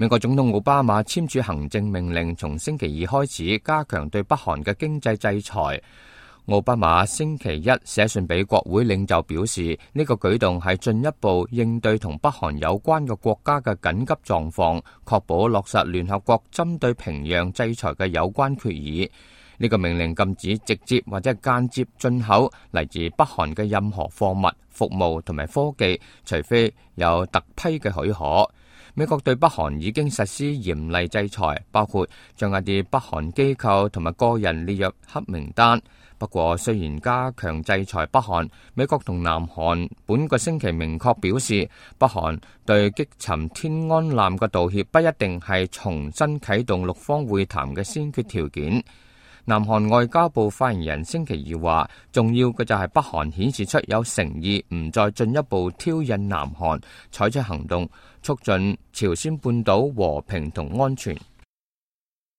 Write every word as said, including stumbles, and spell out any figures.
美國總統奧巴馬簽署行政命令，從星期二開始加強對北韓嘅經濟制裁。奧巴馬星期一寫信俾國會領袖，表示呢個舉動係進一步應對同北韓有關嘅國家嘅緊急狀況，確保落實聯合國針對平壤制裁嘅有關決議。呢個命令禁止直接或者間接進口嚟自北韓嘅任何貨物、服務同埋科技，除非有特批嘅許可。美國對北韓已經實施嚴厲制裁，包括將一啲北韓機構同埋個人列入黑名單。不過，雖然加強制裁北韓，美國同南韓本個星期明確表示，北韓對擊沉天安艦嘅道歉不一定係重新啟動六方會談嘅先決條件。南韓外交部發言人星期二話，重要嘅就係北韓顯示出有誠意，唔再進一步挑釁南韓，採取行動，促進朝鮮半島和平同安全。